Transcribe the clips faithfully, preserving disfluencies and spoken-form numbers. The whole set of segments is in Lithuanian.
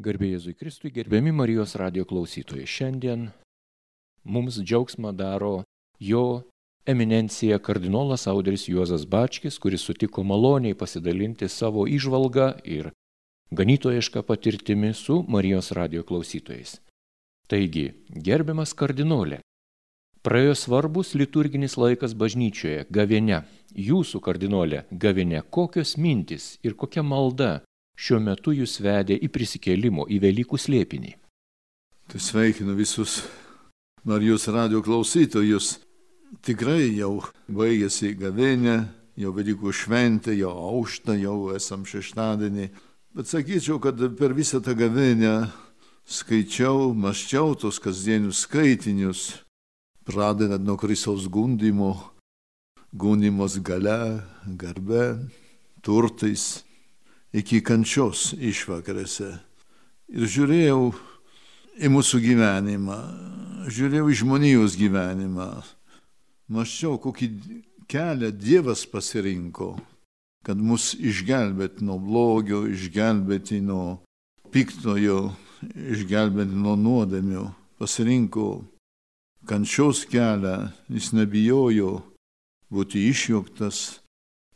Garbė Jėzui Kristui, gerbiami Marijos radijo klausytojai. Šiandien mums džiaugsmą daro jo eminencija kardinolas Audris Juozas Bačkis, kuris sutiko maloniai pasidalinti savo įžvalgą ir ganytojišką patirtimi su Marijos radijo klausytojais. Taigi, gerbiamas kardinolė, praėjo svarbus liturginis laikas bažnyčioje, gavėnia. Jūsų kardinolė gavėnia, kokios mintis ir kokia malda šiuo metu jūs vedė į prisikėlimo, į Velykų slėpinį? Tai sveikinu visus Marijos radijo klausytojus. Tikrai jau baigėsi gavėnia, jau Velykų šventė, jau aušta, jau esam šeštadienį. Bet sakyčiau, kad per visą tą gavėnią skaičiau, mąsčiau tos kasdienius skaitinius, pradedant nuo Kristaus gundymo, gundymos galia, garbe, turtais, iki kančios išvakarėse. Ir žiūrėjau į mūsų gyvenimą, žiūrėjau į žmonijos gyvenimą, mąsčiau, kokį kelią Dievas pasirinko, kad mus išgelbėti nuo blogio, išgelbėti nuo piktojo, išgelbėti nuo nuodėmių. Pasirinko kančios kelią, jis nebijojo būti išjuoktas.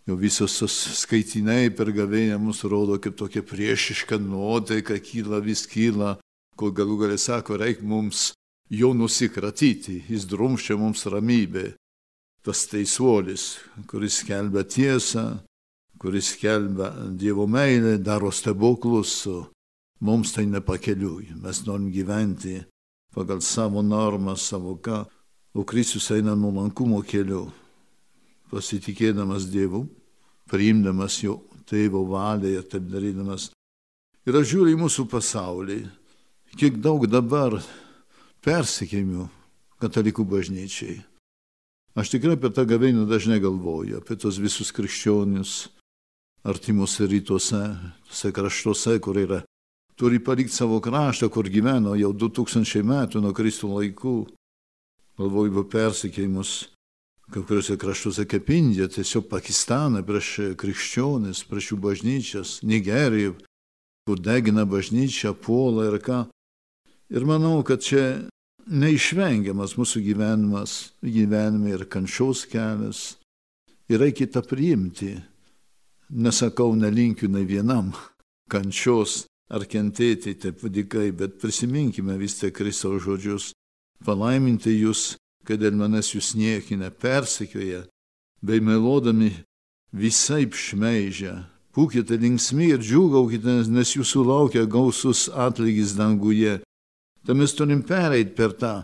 Jau visos skaitiniai per gavėnią mus rodo, kaip tokia priešiška nuotaika kyla, vis kyla, kol galų galę sako, reik mums jo nusikratyti, jis drumščia mums ramybę. Tas teisuolis, kuris skelbia tiesą, kuris skelbia Dievo meilę, daro stebuklus, mums tai nepakeliui. Mes norim gyventi pagal savo normą, savo ką, o Kristus eina nuolankumo keliu, pasitikėdamas Dievu, priimdamas jo tėvo valią ir taip darydamas. Ir aš žiūriu į mūsų pasaulį, kiek daug dabar persekiojimų katalikų bažnyčiai. Aš tikrai apie tą gavėnią dažnai galvoju, apie tos visus krikščionius artimuose rytuose, tose kraštuose, kur yra, turi palikti savo kraštą, kur gyveno jau du tūkstančiai metų nuo Kristų laikų. Galvoju apie persekiojimus kai kuriuose kraštuose kaip Indija, tiesiog Pakistaną prieš krikščionis, prieš jų bažnyčias, Nigerijų, kur degina bažnyčią, puola ir ką. Ir manau, kad čia neišvengiamas mūsų gyvenimas, gyvenime ir kančios kelias. Ir reikia tą priimti. Nesakau, nelinkiu nei vienam kančios ar kentėti taip vadikai, bet prisiminkime vis tiek Kristaus žodžius. Palaiminti jūs, kad dėl manęs jūs niekina, persekioja, bei melodami visaip šmeižia. Būkite linksmi ir džiūgaukite, nes jūsų laukia gausus atlygis danguje. Tai mes turim pereiti per tą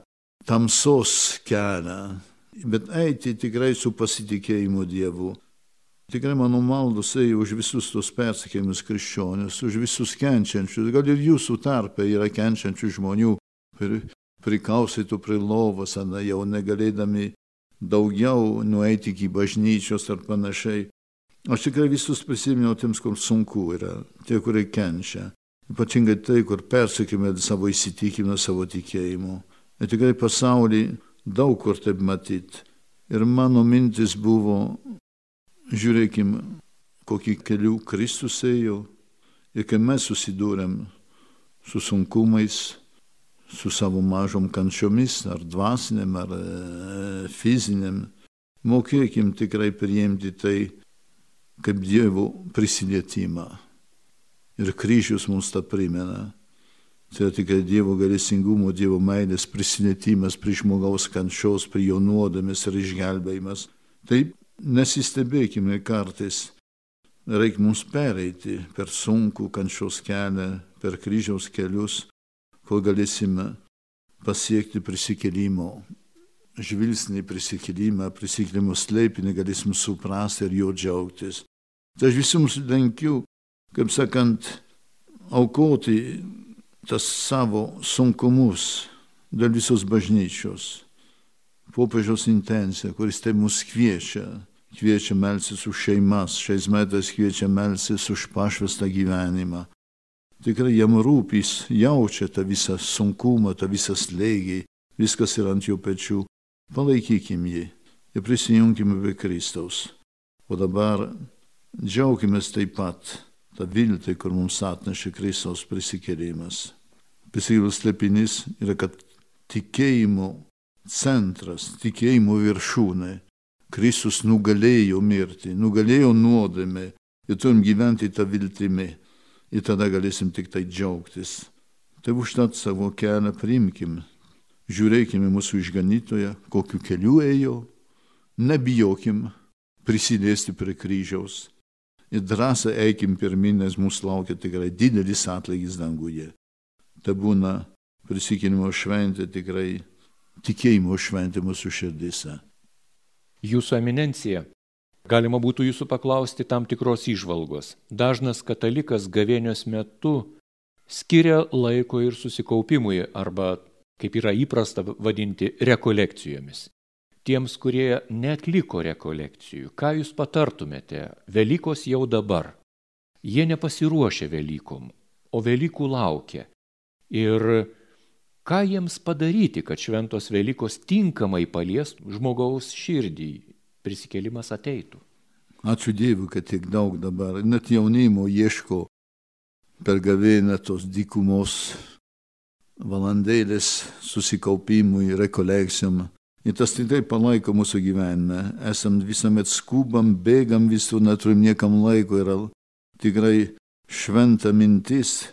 tamsos kelią, bet eiti tikrai su pasitikėjimu Dievu. Tikrai mano maldos ėjo už visus tos persekiojimus krikščionius, už visus kenčiančius, gal ir jūsų tarpe yra kenčiančių žmonių, prikaustytų prie lovos, jau negalėdami daugiau nueiti iki bažnyčios ar panašiai. Aš tikrai visus prisiminiau tiems, kur sunku yra, tie, kurie kenčia. Ypatingai tai, kur persekime savo įsitikimą, savo tikėjimu. Ir tikrai pasaulį daug kur taip matyti. Ir mano mintis buvo, žiūrėkim, kokį kelių Kristus ėjo. Ir kai mes susidūrėm su sunkumais, su savo mažom kančiomis, ar dvasiniam, ar e, fiziniam, mokėkim tikrai priimti tai kaip Dievo prisilietimą. Ir kryžius mums tą primena. Tai tikrai Dievo gailestingumo, Dievo meilės prisilietimas prie žmogaus kančios, prie jo nuodėmės ir išgelbėjimas. Taip nesistebėkime kartais. Reikia mums pereiti per sunkų kančios kelią, per kryžiaus kelius, kol galėsime pasiekti prisikėlimo, žvilgsnį prisikėlimą, prisikėlimo slėpinį, galėsime suprasti ir jo džiaugtis. Tai aš visums linkiu, kaip sakant, aukoti tas savo sunkumus dėl visos bažnyčios. Popiežiaus intencija, kuris tai mus kviečia, kviečia melsis už šeimas, šiais metais kviečia melsis už pašvestą gyvenimą. Tikrai jam rūpys, jaučia tą visą sunkumą, tą visą slėgį, viskas yra ant jo pečių. Palaikykim jį ir prisijungime prie Kristaus. O dabar džiaukimės taip pat tą viltį, kur mums atnešė Kristaus prisikėlimas. Prisikėlimas slėpinys yra, kad tikėjimo centras, tikėjimo viršūnė. Kristus nugalėjo mirtį, nugalėjo nuodėmę ir turim gyventi tą viltimį. Ir tada galėsim tik tai džiaugtis. Tai užtat savo kelią priimkim. Žiūrėkime mūsų išganytoją, kokiu keliu ėjo. Nebijokim prisiliesti prie kryžiaus. Ir drąsą eikim pirmin, nes mūsų laukia tikrai didelis atlygis danguje. Tai būna prisikėlimo šventė, tikrai tikėjimo šventė mūsų širdise. Jūsų eminencija, galima būtų jūsų paklausti tam tikros įžvalgos. Dažnas katalikas gavėnios metu skiria laiko ir susikaupimui arba, kaip yra įprasta vadinti, rekolekcijomis. Tiems, kurie neatliko rekolekcijų, ką jūs patartumėte? Velykos jau dabar. Jie nepasiruošia Velykom, o Velykų laukia. Ir ką jiems padaryti, kad šventos Velykos tinkamai paliestų žmogaus širdį, prisikėlimas ateitų? Ačiū Dievui, kad tiek daug dabar, net jaunimo ieško per gavėnią tos dykumos valandėlės susikaupimui, rekolekcijom. Ir tas tikrai palaiko mūsų gyvenime. Esam visuomet skubam, bėgam visur, neturim niekam laiko. Yra tikrai šventa mintis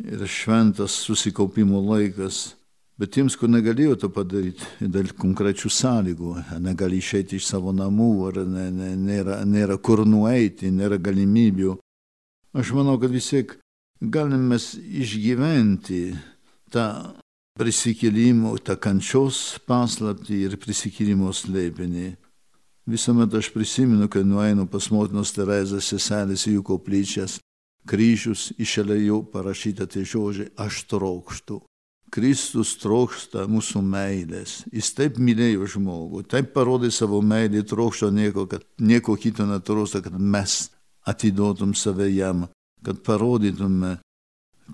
ir šventas susikaupimo laikas. Bet tiems, kur negalėjo to padaryti, dėl konkrečių sąlygų, negali išeiti iš savo namų, ar ne, ne, nėra, nėra kur nueiti, nėra galimybių. Aš manau, kad vis tiek galim mes išgyventi tą prisikėlimo, tą kančios paslaptį ir prisikėlimo slėpinį. Visuomet aš prisimenu, kai nueinu pas motinos Terezės seselės į jų koplyčias, kryžius išėlėjau parašyta tie žodžiai, aš trokštu. Kristus trokšta mūsų meilės. Jis taip mylėjo žmogų, taip parodė savo meilį, trokšto nieko, kad nieko kito netrokšta, kad mes atiduotum save jam, kad parodytume,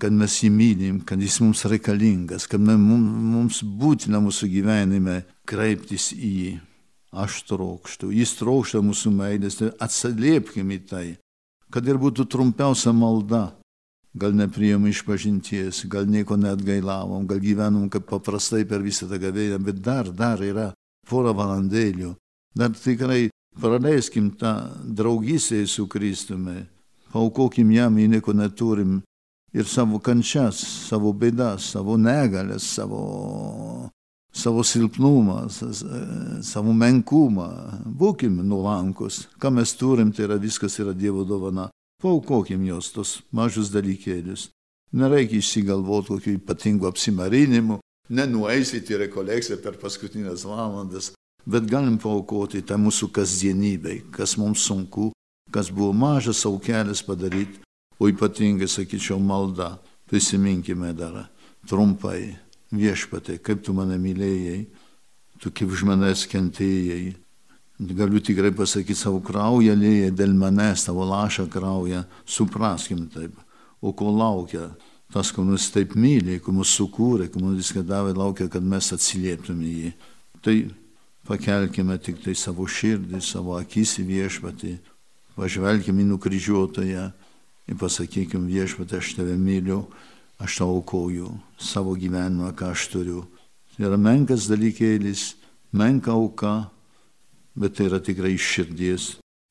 kad mes jį mylim, kad jis mums reikalingas, kad mums būtina mūsų gyvenime kreiptis į jį. Aš trokštu. Jis trokšta mūsų meilės, tai atsiliepkim į tai, kad ir būtų trumpiausia malda. Gal nepriėmėm išpažinties, gal nieko neatgailavom, gal gyvenom kaip paprastai per visą tą gavėnią, bet dar, dar yra porą valandėlių. Dar tikrai praleiskim tą draugystę su Kristumi, paaukokim jam, jei nieko neturim, ir savo kančias, savo bėdas, savo negalės, savo, savo silpnumą, savo menkumą. Būkim nuolankus. Ką mes turim, tai yra viskas yra Dievo dovana. Paukokim jos, tos mažus dalykėlius. Nereikia išsigalvoti kokių ypatingų apsimarinimų, nenueisite į rekolekciją per paskutinės valandas, bet galim paukoti tą mūsų kasdienybei, kas mums sunku, kas buvo mažas aukelis padaryti, o ypatingai, sakyčiau, malda. Prisiminkime dar trumpai, Viešpatie, kaip tu mane mylėjai, tu kaip už manęs kentėjai. Galiu tikrai pasakyti, savo kraują lėjai dėl manęs, tavo lašą kraują, supraskim taip. O ko laukia? Tas, ko mus taip myli, ko mus sukūrė, ko mums viską davė, laukia, kad mes atsilieptume jį. Tai pakelkime tik tai savo širdį, savo akis į Viešpatį, pažvelkime į nukryžiuotoją ir pasakykim, Viešpatį, aš tave myliu, aš tau aukoju savo gyvenimą, ką aš turiu. Tai yra menkas dalykėlis, menka auka, bet tai yra tikrai iš širdies.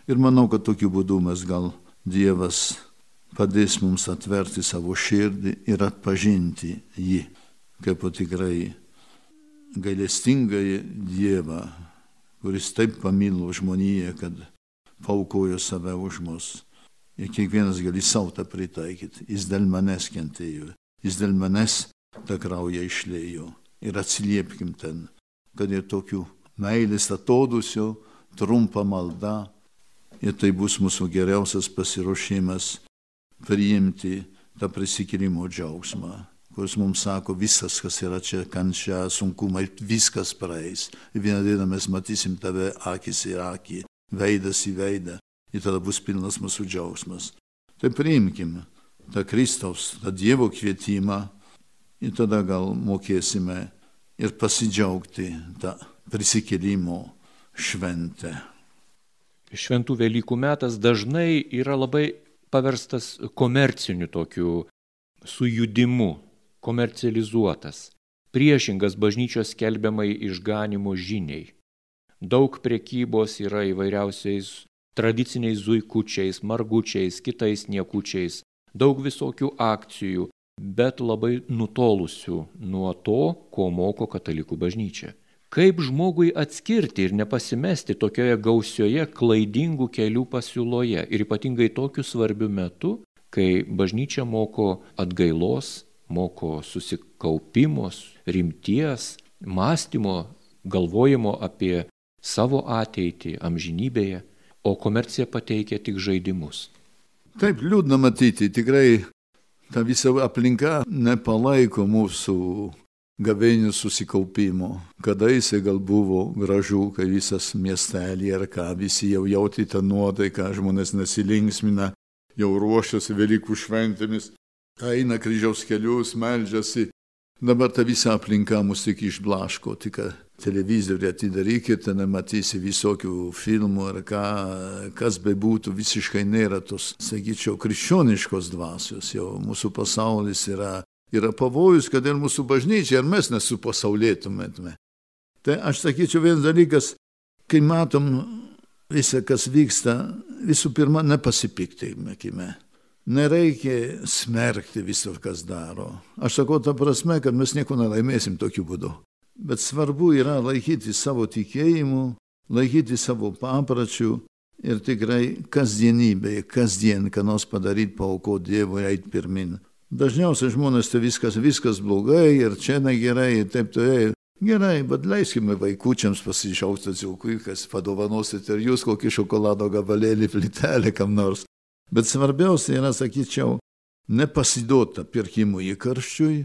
Ir manau, kad tokiu būdu mes gal Dievas padės mums atverti savo širdį ir atpažinti jį, kaip tikrai gailestingąjį Dievą, kuris taip pamilo žmoniją, kad paaukojo save už mus. Ir kiekvienas gali savo tą pritaikyti. Jis dėl manęs kentėjo, jis dėl manęs tą kraują išlėjo. Ir atsiliepkim ten, kad ir tokių meilės atodusio, trumpa malda, ir tai bus mūsų geriausias pasiruošimas priimti tą prisikėlimo džiaugsmą, kuris mums sako, visas, kas yra čia, kančia, sunkumai, viskas praeis. Ir vieną dieną mes matysim tave akis į akį, veidas į veidą, ir tada bus pilnas mūsų džiaugsmas. Tai priimkim tą Kristaus, tą Dievo kvietimą, ir tada gal mokėsime ir pasidžiaugti tą prisikėlimo šventę. Šventų Velykų metas dažnai yra labai paverstas komerciniu tokiu sujudimu, komercializuotas, priešingas bažnyčios skelbiamai išganimo žiniai. Daug prekybos yra įvairiausiais tradiciniais zuikučiais, margučiais, kitais niekučiais, daug visokių akcijų, bet labai nutolusių nuo to, ko moko katalikų bažnyčia. Kaip žmogui atskirti ir nepasimesti tokioje gausioje klaidingų kelių pasiūloje ir ypatingai tokiu svarbiu metu, kai bažnyčia moko atgailos, moko susikaupimos, rimties, mąstymo, galvojimo apie savo ateitį amžinybėje, o komercija pateikia tik žaidimus. Taip, liūdna matyti, tikrai ta visa aplinka nepalaiko mūsų gavėnių susikaupimo. Kadaise gal buvo gražu, kai visas miestelį ar ką, visi jau jauti tą nuotaiką, žmonės nesilinksmina, jau ruošiasi Velykų šventėmis, eina kryžiaus kelius, meldžiasi. Dabar ta visa aplinka mus tik išblaško, tik televizorių atidarykite, nematysi visokių filmų ar ką, kas bebūtų, visiškai nėra tos, sakyčiau, krikščioniškos dvasios. Jau mūsų pasaulis yra, yra pavojus, kad ir mūsų bažnyčia, ir mes nesupasaulėtumėtume. Tai aš sakyčiau, vienas dalykas, kai matom visą, kas vyksta, visų pirma, nepasipiktinkime. Nereikia smerkti viso, kas daro. Aš sakau tą prasme, kad mes nieko nelaimėsim tokiu būdu. Bet svarbu yra laikyti savo tikėjimu, laikyti savo papračių ir tikrai kasdienybėje, kasdien, ką nors padaryti, paaukoti Dievui, eiti pirmin. Dažniausiai žmonės tai viskas, viskas blogai ir čia negerai ir taip toliau. Gerai, bet leiskime vaikučiams pasišaukti atsiaukui, kas padovanosit ir jūs kokį šokolado gabalėlį, plytelę kam nors. Bet svarbiausia yra, sakyčiau, nepasiduoti pirkimui įkarščiui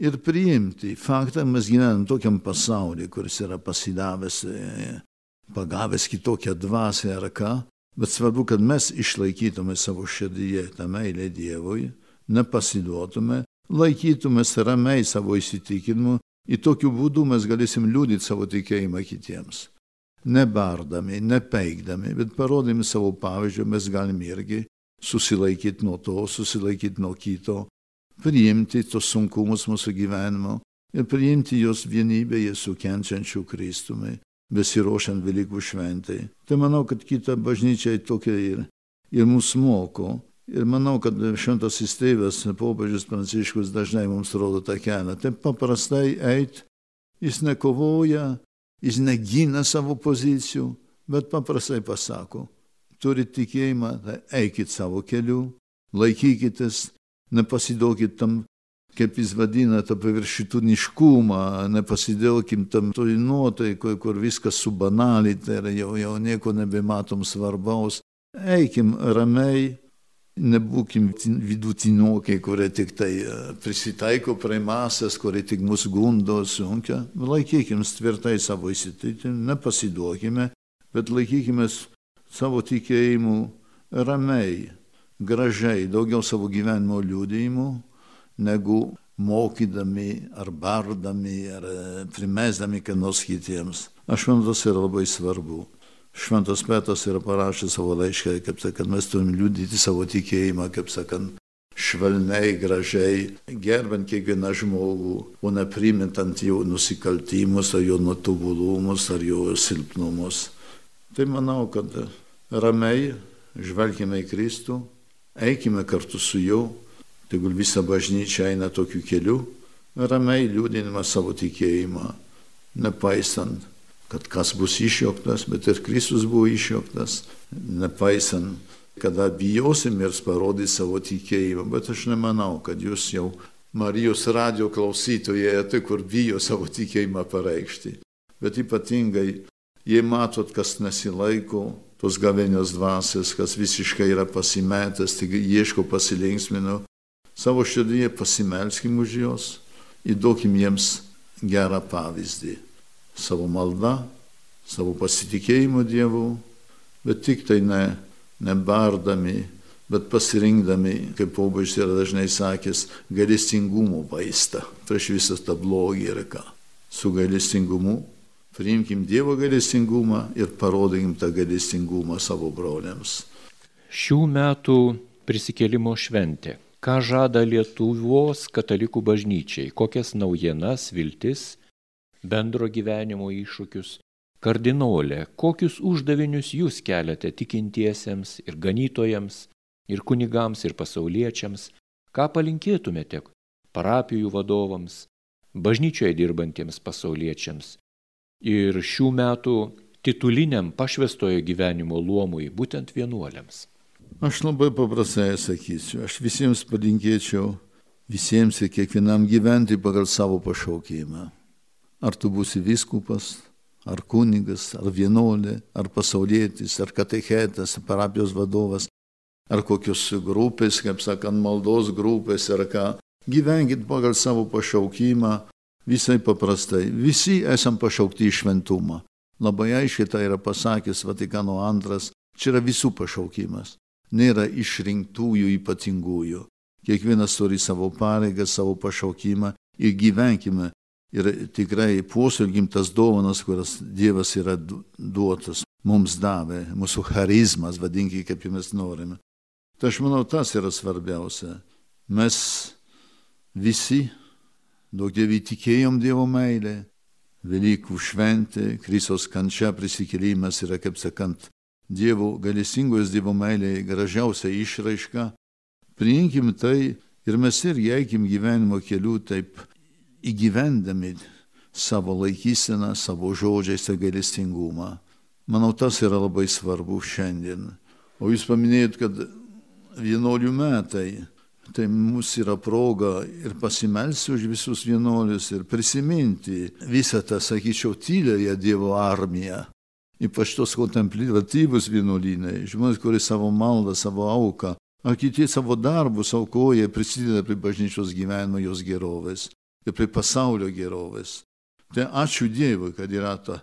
ir priimti faktą, mes gyvenam tokiam pasaulyje, kuris yra pasidavęs, pagavęs kitokią dvasią ar ką, bet svarbu, kad mes išlaikytume savo širdyje tą meilę Dievui, nepasiduotume, laikytumės ramiai savo įsitikinimu, į tokiu būdu mes galėsim liudyti savo tikėjimą kitiems. Nebardami, nepeikdami, bet parodami savo pavyzdžių, mes galime irgi susilaikyti nuo to, susilaikyti nuo kito, priimti tos sunkumus mūsų gyvenimo ir priimti jos vienybėje su kenčiančiu Kristumi, besiruošiant Velykų šventai. Tai manau, kad kita bažnyčia tokia ir, ir mus moko. Ir manau, kad šventasis tėvas, popiežius Pranciškus dažnai mums rodo tą kelią. Taip paprastai eit, jis nekovoja, jis negina savo pozicijų, bet paprastai pasako, turit tikėjimą, tai eikit savo keliu, laikykitės, nepasiduokit tam, kaip jis vadina, tą paviršutiniškumą, nepasiduokim tam toj nuotaikoj, kur viskas subanalita ir jau, jau nieko nebematom svarbaus. Eikim ramiai, nebūkim vidutinokai, kurie tik tai prisitaiko prie masės, kurie tik mus gundo, sunkia. Laikykim tvirtai savo įsitikinimą, nepasiduokime, bet laikykime savo tikėjimu ramiai, gražiai, daugiau savo gyvenimo liudijimų, negu mokydami ar bardami, ar primesdami ką nors kitiems. Aš manau, tas yra labai svarbu. Šventas Petras yra parašęs savo laišką, kaip sakant, mes turim liudyti savo tikėjimą, kaip sakant, švelniai, gražiai, gerbant kiekvieną žmogų, o neprimintant jo nusikaltimus, ar jo netobulumus, ar jo silpnumus. Tai manau, kad ramiai žvelgime į Kristų, eikime kartu su juo, tegul visa bažnyčia eina tokiu keliu, ramiai liudinimą savo tikėjimą, nepaisant, kad kas bus išjuoktas, bet ir Kristus buvo išjuoktas, nepaisant, kada bijosim ir parodys savo tikėjimą. Bet aš nemanau, kad jūs jau Marijos radijo klausytojai, tai kur bijo savo tikėjimą pareikšti. Bet ypatingai, jei matot, kas nesilaiko tos gavėnios dvasios, kas visiškai yra pasimetęs, tik ieško pasilinksmino, savo širdyje pasimelskim už jos, įduokim jiems gerą pavyzdį. Savo malda, savo pasitikėjimu Dievu, bet tik tai ne, nebardami, bet pasirinkdami, kaip popiežius yra dažnai sakęs, gailestingumo vaistą prieš visą tą blogį ir ką. Su gailestingumu priimkim Dievo gailestingumą ir parodykim tą gailestingumą savo broliams. Šių metų prisikėlimo šventė. Ką žada Lietuvos katalikų bažnyčiai? Kokias naujienas, viltis, bendro gyvenimo iššūkius? Kardinolė, kokius uždavinius jūs keliate tikintiesiems ir ganytojams, ir kunigams, ir pasauliečiams? Ką palinkėtumėte parapijų vadovams, bažnyčioje dirbantiems pasauliečiams ir šių metų tituliniam pašvęstojo gyvenimo luomui, būtent vienuoliams? Aš labai paprastai sakysiu, aš visiems palinkėčiau, visiems ir kiekvienam gyventi pagal savo pašaukimą. Ar tu būsi vyskupas, ar kunigas, ar vienuolė, ar pasaulietis, ar katechetas, parapijos vadovas, ar kokios grupės, kaip sakant, maldos grupės, ar ką. Gyvenkit pagal savo pašaukimą, visai paprastai. Visi esam pašaukti į šventumą. Labai aiškiai tai yra pasakęs Vatikano antras, čia yra visų pašaukimas. Nėra išrinktųjų ypatingųjų. Kiekvienas turi savo pareigą, savo pašaukimą ir gyvenkime. Ir tikrai puoselėkim tas dovanas, kurias Dievas yra duotas, mums davė, mūsų charizmas, vadinkime, kaip mes norime. Tai aš manau, tas yra svarbiausia. Mes visi daug Dievui tikėjom Dievo meilę, Velykų šventė, Kristaus kančia, prisikėlimas yra, kaip sakant, Dievo gailestingos Dievo meilė gražiausia išraiška. Priimkim tai ir mes irgi eikim gyvenimo keliu taip įgyvendami savo laikyseną, savo žodžiais ir gailestingumą. Manau, tas yra labai svarbu šiandien. O jūs paminėjot, kad vienuolių metai, tai mūsų yra proga ir pasimelsti už visus vienuolius ir prisiminti visą tą, sakyčiau, tyliąją Dievo armiją. Ypač tos kontempliatyvus vienuolynai, žmonės, kurie savo maldą, savo auką, ar kiti savo darbus aukoja, prisideda prie bažnyčios gyvenimo, jos gerovės ir prie pasaulio gerovės. Tai ačiū Dievui, kad yra ta,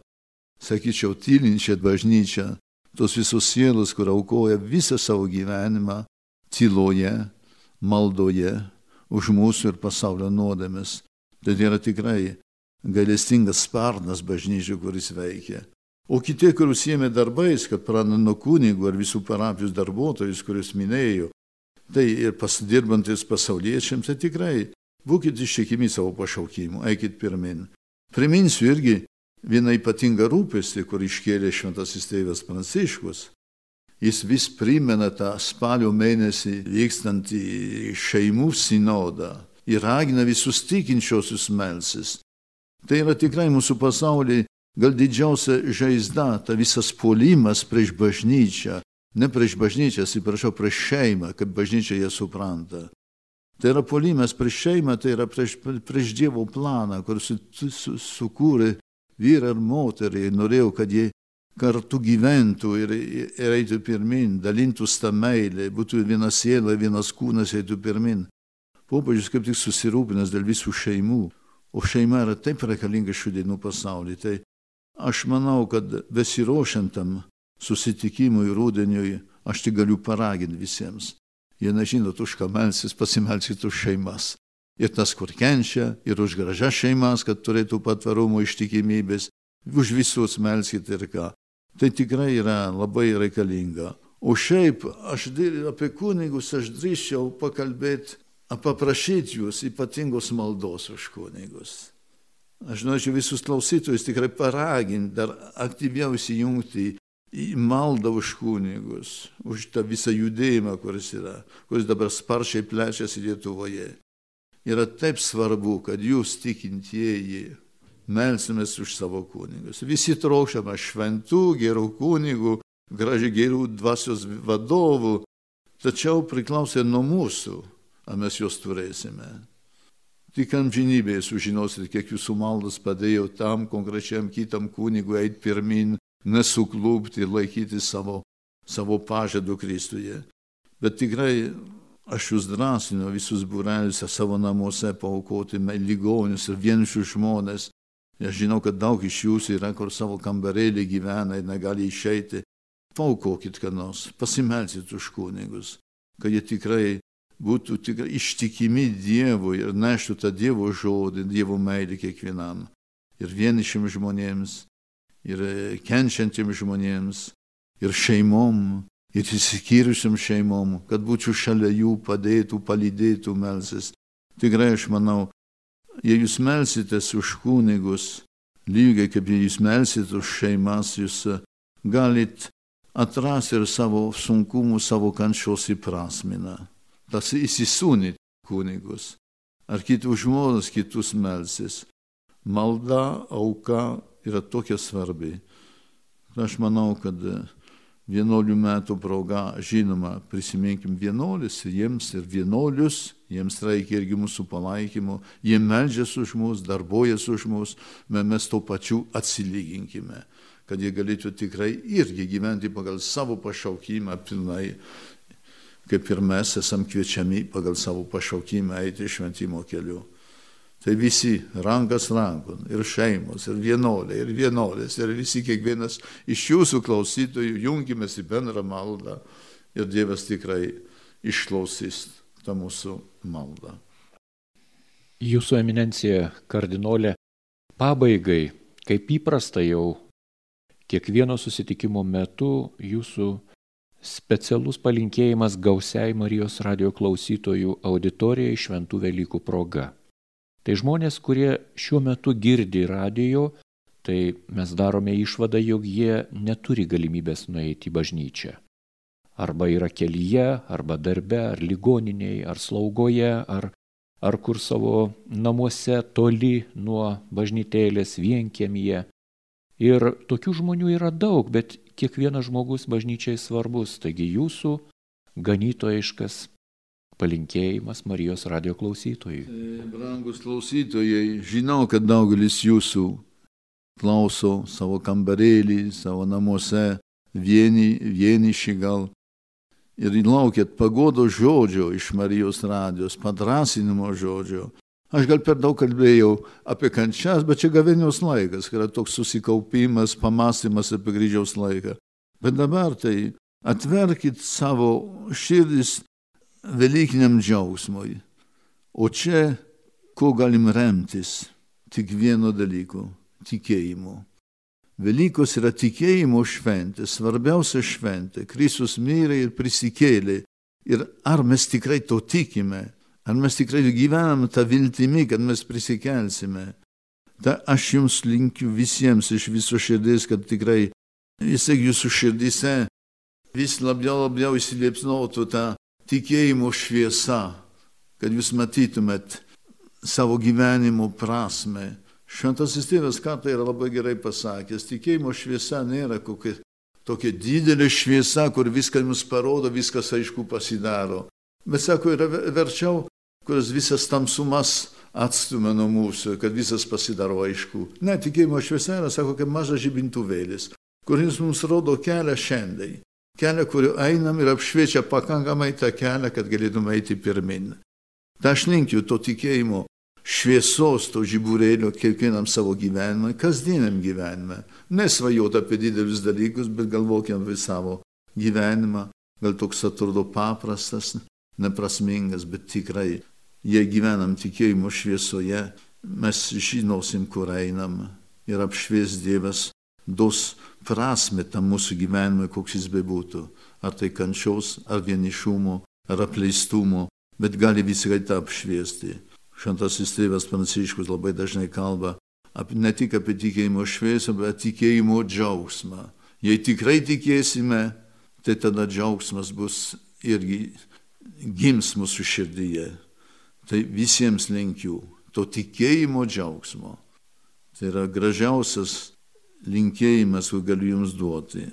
sakyčiau, tylinčia bažnyčia, tos visos sielos, kur aukoja visą savo gyvenimą tyloje, maldoje, už mūsų ir pasaulio nuodėmes. Tai yra tikrai gailestingas sparnas bažnyčių, kuris veikia. O kiti, kur užsiėmė darbais, kad pradeda nuo kunigų ar visų parapijos darbuotojus, kuriuos minėjau, tai ir pasidirbantis pasauliečiams, tai tikrai būkit ištikimi savo pašaukimu, eikit pirmin. Priminsiu irgi vieną ypatingą rūpestį, kur iškėlė šventasis tėvas Pranciškus. Jis vis primena tą spalio mėnesį vykstantį šeimų sinodą ir ragina visus tikinčiosius melstis. Tai yra tikrai mūsų pasaulyje gal didžiausia žaizda, ta visas puolimas prieš bažnyčią, ne prieš bažnyčią, atsiprašau, prieš šeimą, kaip bažnyčia ją supranta. Tai yra puolimas prieš šeimą, tai yra prieš, prieš Dievo planą, kur su, su, sukūrė vyrą ir moterį ir norėjau, kad jie kartu gyventų ir, ir eitų pirmin, dalintųs tą meilę, būtų viena siela, vienas kūnas eitų pirmin. Popiežius kaip tik susirūpinęs dėl visų šeimų, o šeima yra taip reikalinga šių dienų pasaulyje. Tai aš manau, kad besiruošiantam susitikimui rudeniui, aš tik galiu paraginti visiems. Jie nežinot, už ką melsis, pasimelskit už šeimas. Ir tas, kur kenčia, ir už gražias šeimas, kad turėtų patvarumo ištikimybės, už visus melskit ir ką. Tai tikrai yra labai reikalinga. O šiaip, aš apie kunigus aš drįsčiau pakalbėti, paprašyti jūs ypatingos maldos už kunigus. Aš norėčiau visus klausytojus tikrai paraginti, dar aktyviau įsijungti į maldą už kunigus, už tą visą judėjimą, kuris yra, kuris dabar sparčiai plečiasi Lietuvoje. Yra taip svarbu, kad jūs tikintieji melsimės už savo kunigus. Visi trokštame šventų, gerų kunigų, gražiai gerų dvasios vadovų, tačiau priklauso nuo mūsų, ar mes juos turėsime. Tik amžinybėje sužinosit, kiek jūsų maldas padėjo tam konkrečiam kitam kunigui eiti pirmin, nesuklūpti ir laikyti savo, savo pažadų Kristuje. Bet tikrai aš jūs drąsinu visus būrelius savo namuose paaukoti ligonius ir vienišus žmones. Aš žinau, kad daug iš jūsų yra, kur savo kambarėlį gyvena ir negali išeiti. Paaukokit ką nors, pasimelsit už kunigus, kad jie tikrai būtų tikrai ištikimi Dievui ir neštų tą Dievo žodį, Dievo meilį kiekvienam. Ir vienišim žmonėms, ir kenčiantiems žmonėms, ir šeimom, ir išsiskyrusiam šeimom, kad būčiau šalia jų, padėtų, palydėtų, melsis. Tikrai aš manau, jei jūs melsitės už kunigus, lygiai kaip jei jūs melsit už šeimas, jūs galit atrasti ir savo sunkumų, savo kančios įprasminą. Tas įsisūnyti kunigus, ar kitus žmonės, kitus melsis. Malda, auka yra tokia svarbi. Aš manau, kad vienuolių metų proga, žinoma, prisiminkim vienuolis ir jiems ir vienuolius, jiems reikia irgi mūsų palaikymo, jie meldžiasi už mus, darbuojasi už mus, bet mes to pačiu atsilyginkime, kad jie galėtų tikrai irgi gyventi pagal savo pašaukimą pilnai, kaip ir mes esam kviečiami pagal savo pašaukimą eiti šventimo keliu. Tai visi rankas rankon, ir šeimos, ir vienuoliai, ir vienuolės, ir visi kiekvienas iš jūsų klausytojų jungimės į bendrą maldą ir Dievas tikrai išklausys tą mūsų maldą. Jūsų eminencija, kardinolė, pabaigai, kaip įprasta jau kiekvieno susitikimo metu jūsų specialus palinkėjimas gausiai Marijos radijo klausytojų auditorijai šventų Velykų proga. Tai žmonės, kurie šiuo metu girdi radijo, tai mes darome išvadą, jog jie neturi galimybės nueiti į bažnyčią. Arba yra kelyje, arba darbe, ar ligoninėje, ar slaugoje, ar, ar kur savo namuose toli nuo bažnytėlės vienkiemyje. Ir tokių žmonių yra daug, bet kiekvienas žmogus bažnyčiai svarbus. Taigi jūsų ganytojiškas palinkėjimas Marijos radijo klausytojui. Brangus klausytojai, žinau, kad daugelis jūsų klauso savo kambarėlį, savo namuose, vieni, vieniši gal. Ir laukėt pagodo žodžio iš Marijos radijos, padrasinimo žodžio. Aš gal per daug kalbėjau apie kančias, bet čia gavėnios laikas, kai yra toks susikaupimas, pamastymas apie kryžiaus laiką. Bet dabar tai atverkit savo širdis velykiniam džiaugsmui. O čia, ko galim remtis? Tik vieno dalyko – tikėjimu. Velykos yra tikėjimo šventė, svarbiausia šventė. Kristus mirė ir prisikėlė. Ir ar mes tikrai to tikime? Ar mes tikrai gyvename tą viltimi, kad mes prisikelsime? Ta aš jums linkiu visiems iš viso širdies, kad tikrai vis tiek jūsų širdyse vis labiau labiau įsiliepsnotų tą tikėjimo šviesa, kad jūs matytumėt savo gyvenimo prasme. Šventasis tėvas kartą yra labai gerai pasakęs, tikėjimo šviesa nėra kokia tokia didelė šviesa, kur viską mums parodo, viskas aišku pasidaro. Bet sako, yra verčiau, kuris visas tamsumas atstumia nuo mūsų, kad visas pasidaro aišku. Ne, tikėjimo šviesa yra, sako, kaip mažas žibintuvėlis, kuris mums rodo kelią šiandien. Kelią, kuriuo einam ir apšviečia pakankamai tą kelią, kad galėtume eiti pirmin. Ta aš linkiu to tikėjimo šviesos, to žiburėlio kiekvienam savo gyvenimą, kasdieniam gyvenimą. Nesvajot apie didelius dalykus, bet galvokim apie savo gyvenimą. Gal toks atrodo paprastas, neprasmingas, bet tikrai, jei gyvenam tikėjimo šviesoje, mes žinosim, kur einam ir apšvies Dievas, dos prasme tam mūsų gyvenimui, koks jis bebūtų. Ar tai kančios, ar vienišumo, ar apleistumo, bet gali visai tą apšviesti. Šventasis tėvas Pranciškus labai dažnai kalba apie, ne tik apie tikėjimo šviesą, bet tikėjimo džiaugsmą. Jei tikrai tikėsime, tai tada džiaugsmas bus irgi gims mūsų širdyje. Tai visiems linkiu to tikėjimo džiaugsmo. Tai yra gražiausias linkėjimas, kur galiu jums duoti.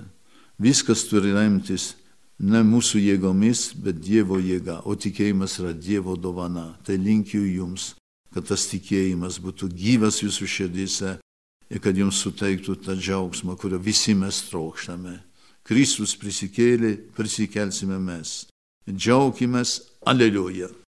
Viskas turi remtis ne mūsų jėgomis, bet Dievo jėga, o tikėjimas yra Dievo dovana. Tai linkiu jums, kad tas tikėjimas būtų gyvas jūsų širdyse ir kad jums suteiktų tą džiaugsmą, kurio visi mes trokštame. Kristus prisikėlė, prisikelsime mes. Džiaukimės, aleliuja.